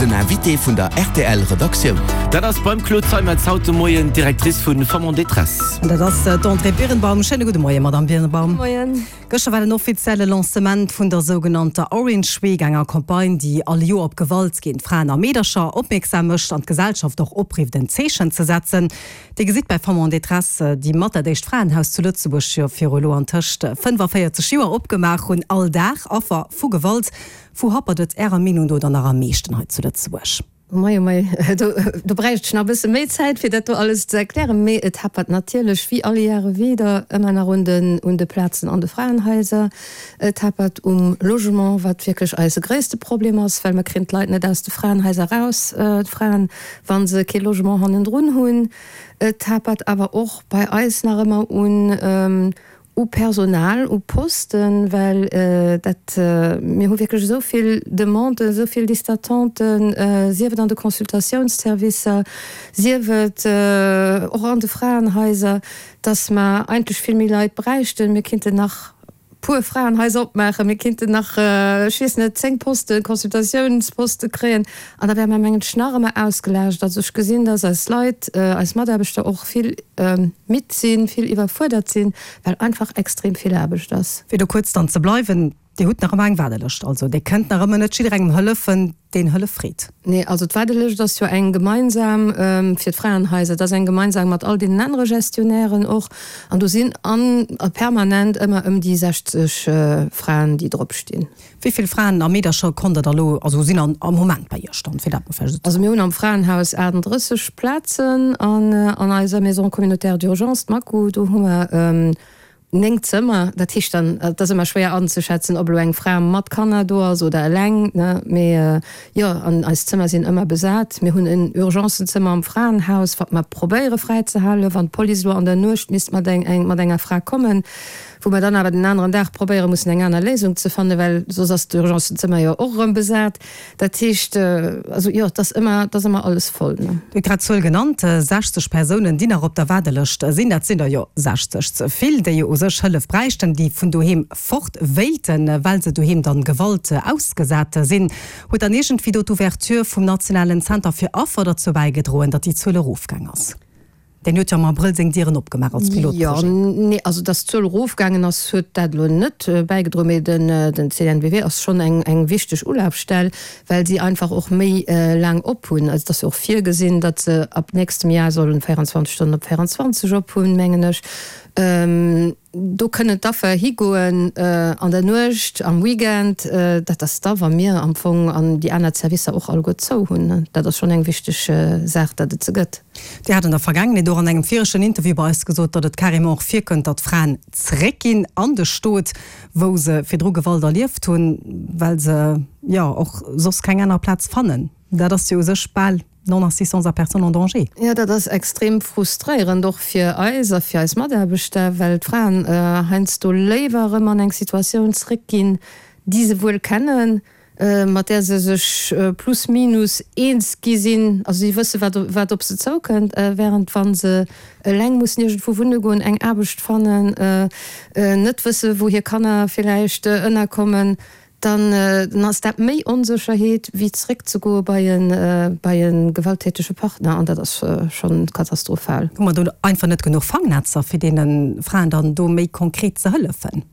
Den Invité vun der rtl Redaktioun. Dat ass beim Claude Zeimetz haut de Moien, d'Directrice vu Femmes en détresse. An dat ass d'Andrée Birnbaum. Schéine gudde Moien, Madamm Birnbaum. Moien. Gëschter war den offizielle Lancement vun der sougenannter Orange Week, enger Campagne, déi all Joer op Gewalt géint Fraen a Meedercher opmierksam mécht an d'Gesellschaft och oprifft, en Zeechen ze setzen. Dir gesitt bei Femmes en détresse, déi mat dat éischt Fraenhaus zu Lëtzebuerg jo viru elo antëscht 45 Joer opgemaach hunn, all Dag Affer vu Gewalt. Wou happert et Ärer Meenung no dann nach am meeschten hei zu Lëtzebuerg? Oh mei, oh mei, do, do bräicht ech nach e bësse méi Zäit, fir dat do alles ze erklären. Mee et happert natierlech, wéi all Jahre wieder, ëmmer nach un den, un de Plazen an de Fraenhaiser. Et happert um Logement, wat wierklech eise gréisste Problem ass, well mer kréien d'Leit net aus de Fraenhaiser eraus, d'Fraen, wa se kee Logement hannendrun hunn. Et hapert awer och bei eis nach ëmmer un, U Personal, u Posten, well dat, mir hu wierklech esou vill Demanden, esou vill Listes d'attenten, sief et an de Consultatiounsservicer, sief et och an de Fraenhaiser, dass mer eigentlech vill méi Leit bräichten. Mir kinnten nach puer Fraenhaiser opmaachen, mir kinnten nach, ech weess net, 10 Posten, Consultatiounsposte kréien an da wäre mer, mengen ech, nach ëmmer ausgelaascht. Also ech gesinn, dass eis Leit, eis Mataarbechter och vill, Midd sinn, vill iwwerfuerdert sinn, well einfach extrem vill Aarbecht ass. Fir do kuerz dann ze bleiwen, Dir hutt nach ëmmer eng Waardelëscht, also Dir kënnt nach ëmmer net jidderengem hëllefen, deen Hëllef freet. Nee, also d'Waardelëscht ass jo eng gemeinsam fir d'Fraenhaiser, dat ass eng gemeinsam mat all deenen anere Gestionnairen och, an do sinn an permanent ëmmer ëm déi 60 Fraen, déi drop stinn. Wéi vill Fraen a Meedercher konnt der da lo, also sinn an am Moment bei Iech dann, fir dat mol vläicht esou ze Also mir hunn am Fraenhaus 38 Plazen an an eiser Maison communautaire d'urgence, d'MACU, do hu mer 9 Zëmmer. Dat heescht dann, et ass ëmmer schwéier anzeschätzen, ob elo eng Fra mat Kanner do ass oder eleng, ne, mee jo, an eis Zëmmer sinn ëmmer besat. Mir hunn en Urgencenzëmmer am Fraenhaus, wat mer probéiere fräizehalen, wann d'Police elo an der Nuecht misst mat eng mat enger Fra kommen. Wou mer dann awer den aneren Dag probéiere mussen eng aner Léisung ze fannen, well soss ass d'Urgencenzëmmer jo och erëm besat. Dat heescht, also jo, et ass ëmmer, et ass ëmmer alles voll, ne. Dir hutt grad d'Zuel genannt, 60 Persounen, déi nach op der Waardelëscht sinn. Dat sinn der jo 60 ze vill, déi jo u sech Hëllef bräichten, déi vun doheem fort wéilten, well se doheem dann Gewalt ausgesat sinn. Huet dann iergendwéi do d'Ouverture vum nationalen Zenter fir Affer derzou bäigedroen, datt déi Zuel erofgaang ass? Deen huet jo am Abrëll seng Dieren opgemaach als Pilotprojet. Jo, nee, also datt d'Zuel erofgaangen ass, huet dat elo net bäigedroen, mee den CNBW ass schonn eng eng wichteg Ulafstell, well si einfach och méi laang op hunn. Also et ass jo och virgesinn, datt se ab nächstem Jar sollen 24 Stonnen op 24 op hunn, mengen ech. Do kënnen d'Affer higoen an der Nuecht, am Weekend. Dat ass da, wa mir am Fong an déi aner Servicer och alleguer zou hunn. Dat ass schonn eng wichteg Saach, datt et se gëtt. Dir hat an der Vergaangenheet och an engem viregten Interview bei eis gesot, datt et carrément och virkënnt, datt Fraen zeréckginn an de Stot, wou se virdru Gewalt erlieft hunn, well se jo och soss keng aner Plaz fannen. Dat ass jo u sech bal Non-assistance à personne en danger. Jo, dat ass extrem frustréierend, och fir eis a fir eis Mataarbechter, well d'Fraen heiansdo léiwer erëm an eng Situatioun zréckginn, déi se wuel kennen, mat där se sech plus minus eens gi sinn, also si wësse wat wat op se zoukënnt, während wa se eleng mussen iergendwou wunne goen, eng Aarbecht fannen, net wësse wou hir Kanner villäicht ënnerkommen. Dann ass dat méi Onsécherheet, wéi zeréckzegoe bei e bei e gewalttätege Partner, an dat ass schonn katastrophal. Hu mer do einfach net genuch Fangnetzer, fir deene Fraen dann do méi konkret ze hëllefen?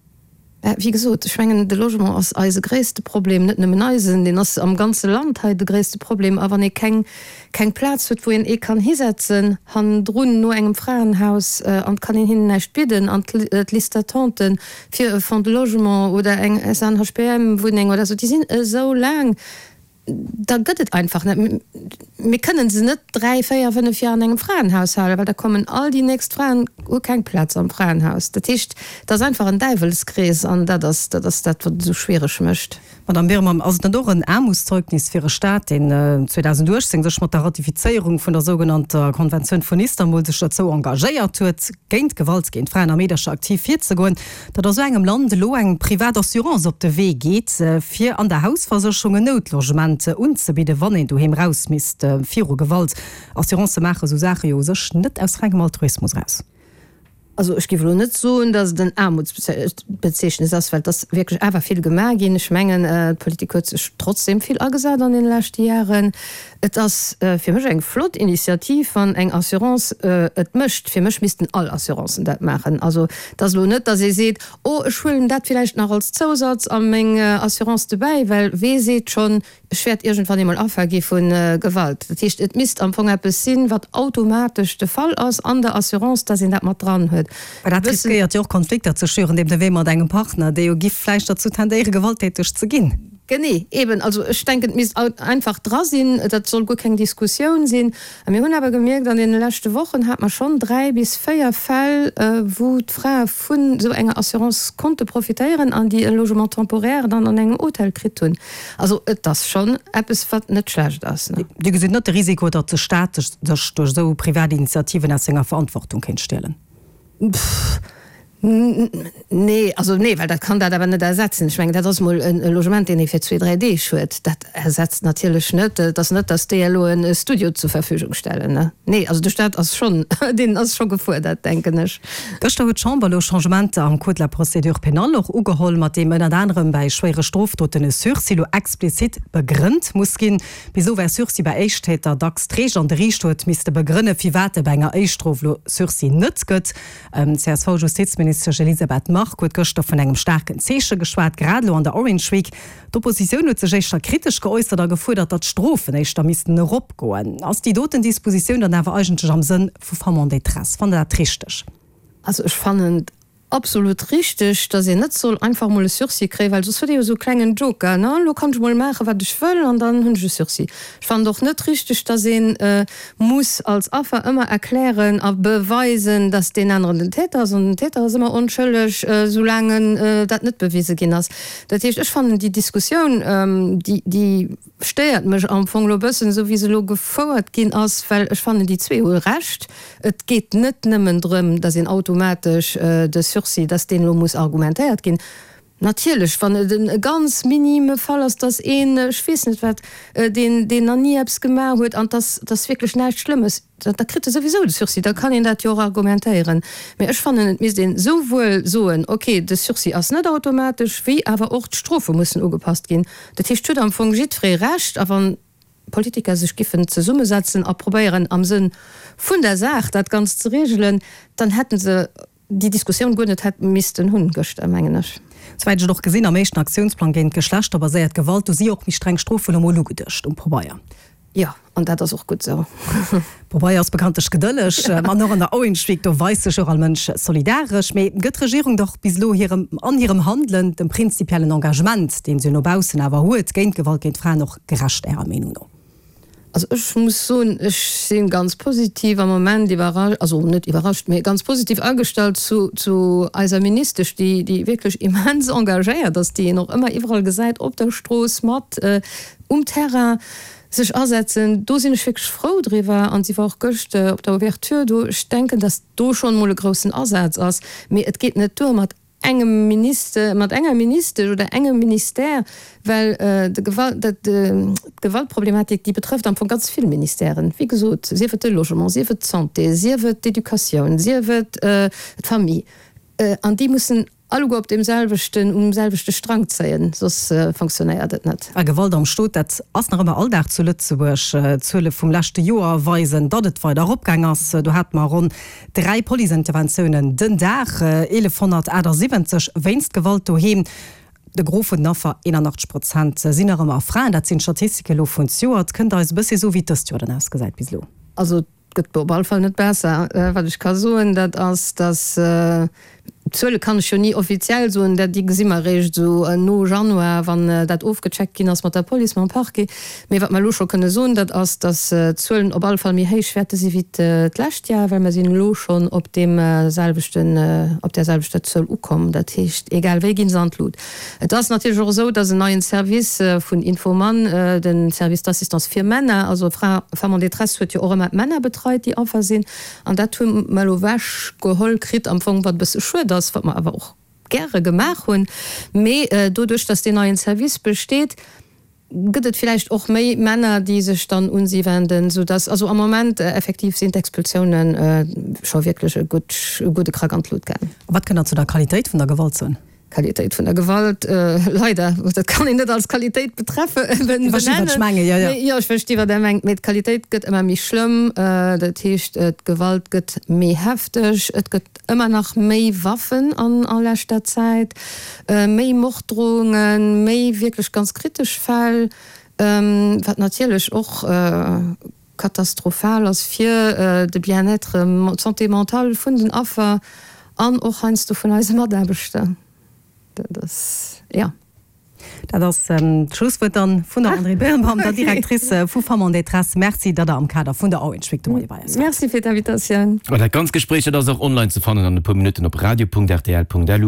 Wéi gesot, ech mengen, de Logement ass eise gréisste Problem, net nëmmen eisen, deen ass am ganze Land hei de gréisste Problem. A wann ee keng keng Plaz huet, wou een ee kann hisetzen hannendrun no engem Fraenhaus, an et kann een hinnen näischt bidden, an d'Liste d'attenten fir e Fonds de logement oder eng SNHPM-Wunneng oder esou, déi sinn esou laang, da gëtt et einfach net. Mir kënnen se net dräi, véier, fënnef Joer an engem Fraenhaus halen, well da kommen all déi nächst Fraen, hu keng Plaz am Fraenhaus. Dat heescht, et ass einfach en Däiwelskrees an dat ass dat, ass dat wat et esou schwiereg mécht. Madame Birman, ass et net och en Aarmutszeugnis fir e Staat, deen 2018 sech mat der Ratifizéierung vun der sougenannter Konventioun vun Istanbul sech derzou engagéiert huet, géint Gewalt géint Fraen a Meedercher aktiv virzegoen, datt a sou engem Land elo eng privat Assurance op de Wee geet, fir an der Hausversécherung en Noutlogement unzebidden, wann een doheem raus misst viru Gewalt? Assurancë maache sou Saache jo u sech net aus rengem Altruismus eraus. Also ech géif elo net soen, datt et en Aarmutsbezeechnes ass, well et ass wierklech awer vill gemaach ginn. Ech mengen, d'Politik huet sech trotzdem vill agesat an deene leschte Jaren. Et ass fir mech eng flott Initiativ, wann eng Assurance et mécht. Fir mech missten all Assurancen dat maachen. Also et ass elo net, datt ee seet, oh ech huelen dat villäicht nach als Zousatz a meng Assurance dobäi, well wee seet schonn, Ech wäert iergendwann eemol Affer gi vu Gewalt. Dat heescht, et misst am Fong eppes sinn, wat automatesch de Fall ass an der Assurance, dass een dat mat dran huet. Mä dat riskéiert jo och Konflikter ze schüren, deemno wéi mat engem Partner, dee jo giff vläicht derzou tendéieren, gewalttäteg ze ginn. Genee, eben. Also ech denken, et misst einfach dra sinn. Dat soll guer keng Diskussioun sinn. A mir hunn awer gemierkt, an deene leschte Wochen hate mer schonn 3 bis 4 Fäll, wou d'Frae vun esou enger Assurance konnte profitéieren an déi e Logement temporaire dann an engem Hotel kritt hunn. Also et ass schonn eppes, wat net schlecht ass. Dir gesitt net de Risiko, datt de Staat sech duerch esou privat Initiativen aus senger Verantwortung kéint stielen? Nee, also nee, well dat kann dat awer net ersetzen. Ech mengen, dat ass emol e Logement, deen ee fir zwee, dräi Deeg huet. Dat ersetzt natierlech net, et ass net, datt déi elo e Studio zur Verfügung stellen, ne? Nee, also de Staat ass schonn, deen ass scho gefuerdert, denken ech. Gëschter huet d'Chamber elo Changementer am Code de la procédure pénale och ugeholl, mat deem ënnert anerem bäi schwéiere Strofdoten e Sursis elo explizit begrënnt muss ginn. Bis elo war Sursis bei Éischttäter dacks d'Reegel an de Riichter huet misste begrënne firwat e bei enger Éichtstrof elo Sursis net gëtt. D'CSV-Justizministesch Elisabeth Margue huet gëschter vun engem staarken Zeeche geschwat, grad elo an der Orange Week. D'Oppositioun huet sech éischter kritesch geäussert a gefuerdert, datt d'Strofen éischter missten eropgoen. Ass déi doten Dispositioun dann awer eigentlech am Sënn vu Femmes en détresse? Fannt Der dat richteg? Also ech fannen et absolut richteg, datt een net soll einfach emol e Sursis kréien, well soss huet ee jo esou e klengen Joker, ne, elo kann ech emol maachen, wat ech wëll an dann hunn ech e Sursis. Ech fannen et och net richteg, datt ee muss als Affer ëmmer erklären a beweisen, datt deen aneren den Täter ass, an den Täter ass ëmmer onschëlleg, soulaang dat net bewise ginn ass. Dat heescht, ech fannen déi Diskussioun, déi, déi stéiert mech am Fong elo e bëssen, esou wéi se elo gefouert ginn ass, well ech fannen, déi zwee hu Recht. Et geet net nëmmen drëm, datt een automatesch de Sursis, datt deen elo muss argumentéiert ginn. Natierlech, wann et e ganz minime Fall ass, datt een, ech weess net wat, deen, deen nach ni eppes gemaach huet an 't ass, 't ass wierklech näischt Schlëmmes, da kritt e souwisou de Sursis, da kann een dat jo och argumentéieren. Mä ech fannen, et misst een esouwuel soen, okay, de Sursis ass net automatesch, wéi awer och d'Strofe mussen ugepasst ginn. Dat heescht, et huet am Fong jiddweree Recht, a wann d'Politiker sech giffen zesummesetzen a probéieren, am Sënn vun der Saach dat Ganzt ze regelen, dann hätte se déi Diskussioun guer net hätt missten hunn gëschter, mengen ech. Souwäit ech et och gesinn, am éischten Aktiounsplang géint geschlechterbaséiert Gewalt, do si jo och méi streng Strofen emol ugeduecht um Pobeier. Jo, an dat ass och gutt esou. Pobeier ass bekanntlech gedëlleg, an och an der Orange Week, do weist sech och all Mënsch solidaresch. Mee gëtt d'Regierung dach bis elo hirem, an hirem Handelen, dem prinzipiellen Engagement, deen se jo no baussen awer huet, géint Gewalt géint Fraen och gerecht, Ärer Meenung no? Also ech muss soen, ech si ganz positiv am Moment iwwerrascht, also net iwwerrascht, mee ganz positiv agestallt zu, zu eiser Ministesch, déi, déi wierklech immens engagéiert ass, déi een och ëmmer iwwerall gesäit op der Strooss mat um Terrain sech asetzen. Do sinn ech wierklech frou driwwer. An si war och gëscht op der Ouverture do. Ech denken, datt do schonn emol e groussen Asaz ass. Mee et geet net duer mat engem Minister, mat enger Ministesch oder engem Ministère, well de Gewalt, dat, d'Gewaltproblematik, déi betrëfft am Fong ganz vill Ministèren, wéi gesot, sief et de Logement, sief et d'Santé, sief et d'Educatioun, sief et d'Famille, an déi mussen alleguer op deem selwechten, um selwechte Strang zéien, soss fonctionnéiert et net. A Gewalt am Stot, dat ass nach ëmmer Alldag zu Lëtzebuerg. D'Zuele vum leschte Joer weisen, datt et weider eropgaang ass. Do hate mer ronn 3 Policeinterventiounen den Dag, 1178 wéinst Gewalt doheem. De Gros vun den Affer, 81 Prozent, sinn nach ëmmer Fraen. Dat sinn d'Statistike elo vun zejoert. Kënnt Der eis e bëssi soen, wéi et dëst Joer dann ausgesäit bis elo? Also et gëtt op alle Fall net besser. Wat ech ka soen, dat ass, datt D'Zuele kann ech jo ni offiziell soen, dat déi gesi mer eréischt esou no Januar, wann dat ofgecheckt ginn ass mat der Police, mam Parquet. Mee wat mer elo scho kënne soen, dat ass, datt d'Zuelen op alle Fall méi héich wäerte si wéi d'lescht Jar, well mer sinn elo schonn op deem selwechten, op där selwechter Zuel ukomm. Dat heescht, egal wéi gi se an d'Lut. Et ass natierlech och esou, datt en neien Service vun Infoman, de Service d'assistance fir Männer, also Fra, Femmes en détresse huet jo och ëmmer d'Männer betreit, déi Affer sinn, An dat hu mer elo ewech geholl kritt am Fong, wat e bësse schued ass, wat mer awer och gäre gemaach hunn. Mee doduerch, datt deen neien Service besteet. Gëtt et villäicht och méi Männer, déi sech dann un si wenden, sou dass, also am Moment effektiv sinn d'Expulsiounen scho wierklech e gutt, e gudde Krack an d'Lut gaang. A wat kënnt Der zu der Qualitéit vun der Gewalt soen? Qualitéit vun der Gewalt, leider, dat kann een net als Qualitéit betreffe, benennen. Ech versti wat ech mengen, jo, jo. Jo, ech versti wat Der mengt, mee d'Qualitéit gëtt ëmmer méi schlëmm, dat heescht d'Gewalt gëtt méi hefteg, et gëtt Ëmmer nach méi Waffen an a leschter Zäit, méi Morddrohungen, méi wierklech ganz kritesch Fäll, wat natierlech och katastrophal ass fir de Bien-être, d'Santé mentale vun den Affer an och heiansdo vun eise Mataarbechter. Dat ass, jo. Dat ass d'Schlusswuert dann vun der Andrée Birnbaum, der Directrice vu Femmes en détresse. Merci, datt Der am Kader vun der Orange Week de Moie bei eis waart. Merci fir d'Invitatioun. An dat ganzt Gespréich, dat ass och online ze fannen an e puer Minutten op radio.rtl.lu.